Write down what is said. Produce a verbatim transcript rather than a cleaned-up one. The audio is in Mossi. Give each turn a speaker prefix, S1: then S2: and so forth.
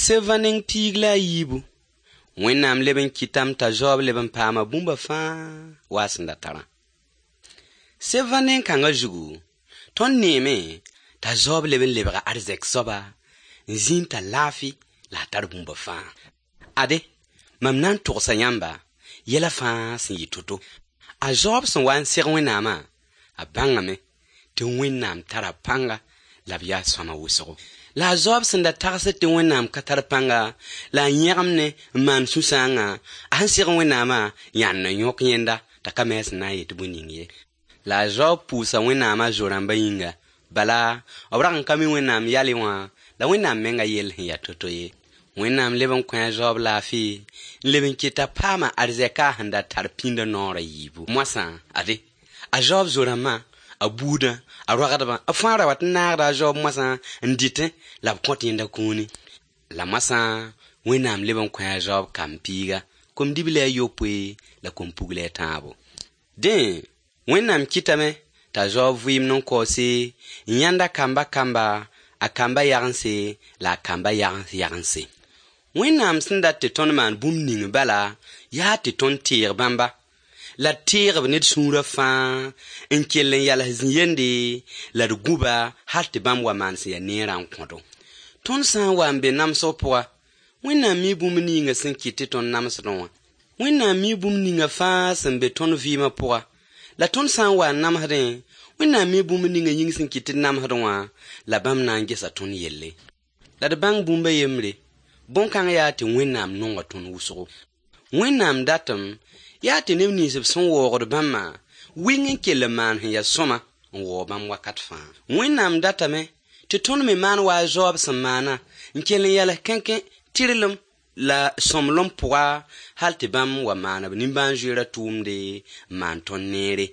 S1: Seva neng piig la a yiibu. Wẽnnaam leb n kɩtame t'a zaoob leb n paama bũmba fãa wa a sẽn da tarã. Seva neng-kãngã zugu, tõnd neeme t'a zaoob leb n lebga arzɛk soaba n zĩ n tar laafɩ la a tar bũmba fãa. Ade, mam na n togsa yãmba yɛla fãa sẽn yɩ to-to. A zaoob sẽn wa n seg Wẽnnaamã, a bãngame tɩ Wẽnnaam tara pãnga la b yaa sõama wʋsgo. La a zaoob sẽn da tagsd tɩ Wẽnnaam ka tar pãnga la a yẽgemne n maan sũ-sãangã, a sẽn seg Wẽnnaamã yãnd n yõk yẽnda t'a ka me a sẽn na n yet bõe ning ye. La a zaoob pʋʋsa Wẽnnaamã zo-rãmbã yĩnga, bala b rag n ka mi Wẽnnaam yalẽ wã la Wẽnnaam menga yell sẽn yaa to-to ye. Wẽnnaam leb n kõ a zaoob laafɩ n leb n ket t'a paama arzɛka a sẽn da tar pĩndã noor a yiibu. Moasã, ade, a zaoob zo-rãmbã, a buudã, a roagdbã, b fãa ra wat n naagda a zaoob moasã n dɩtẽ la b kõt yẽnda kũuni. La moasã Wẽnnaam leb n kõ a zaoob kam-piiga, kom-dibli a yopoe la kom-pugl a tãabo. Dẽ, Wẽnnaam kɩtame t'a zaoob vɩɩmd n kaoose n yãnd a kamba kamba, a kamba yagense la a kamba yagens yagense. Wẽnnaam sẽn dat tɩ tõnd maan bũmb ning bala yaa tɩ tõnd teeg bãmba, la d teeg b ne d sũurã fãa n kell n yals zĩ-yende la d gũ-ba hal tɩ bãmb wa maan sẽn yaa neerã n kõdo. Tõnd sã n wa n be namsg pʋga, Wẽnnaam mi bũmb ninga sẽn kɩt tɩ tõnd namsdẽ wã. Wẽnnaam mi bũmb ninga fãa sẽn be tõnd vɩɩmã pʋga, la tõnd sã n wa n namsdẽ, Wẽnnaam mi bũmb ninga yĩng sẽn kɩt tɩ d namsdẽ wã, la bãmb na n gesa tõnd yelle. La d bãng bũmb a yembre, bõn-kãng yaa tɩ Wẽnnaam nonga tõnd wʋsgo. Wẽnnaam datem yaa tɩ neb nins b sẽn waoogd bãmbã wɩng n kell n maan sẽn yaa sõma n waoog bãmb wakat fãa. Wẽnnaam datame tɩ tõnd me maan wa a zaoob sẽn maana n kell n yals kẽnkẽ tɩrlem la sõmblem pʋga hal tɩ bãmb wa maan b nimbãan-zoeerã tʋʋmde n maan tõnd neere.